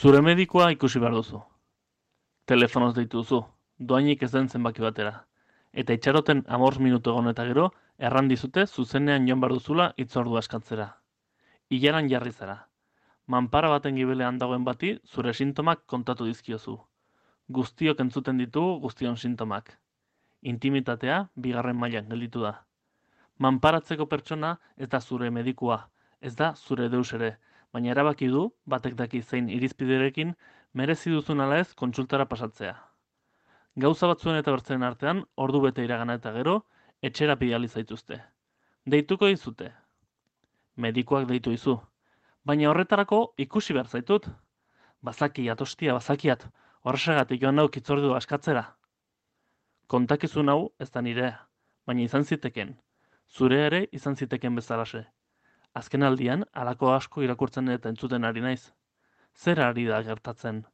Zure medikua ikusi behar duzu. Telefonoz deitu duzu, doainik ez den zenbaki batera. Eta itxaroten 5 minutu egon eta gero, erran dizute zuzenean joan behar duzula hitzordua eskatzera. Ilaran jarri zara. Manpara baten gibelean dagoen bati zure sintomak kontatu dizkiozu. Guztiok entzuten ditugu guztion sintomak. Intimitatea bigarren mailan gelditu da. Manparatzeko pertsona ez da zure medikua, ez da zure deus ere, baina erabaki du, batek daki zein irizpiderekin, merezi duzun ala ez kontsultara pasatzea. Gauza batzuen eta bertzeen artean, ordu bete iragana eta gero, etxera bidali zaituzte. Deituko dizute. Medikuak deitu dizu. Baina horretarako ikusi behar zaitut. Bazakiat, ostia, bazakiat, horrexegatik joan nauk hitzordua askatzera. Kontakizun hau ez da nirea, baina izan ziteken. Zure ere izan ziteken bezalase. Azken aldian, halako asko irakurtzen eta entzuten ari naiz. Zer ari da gertatzen?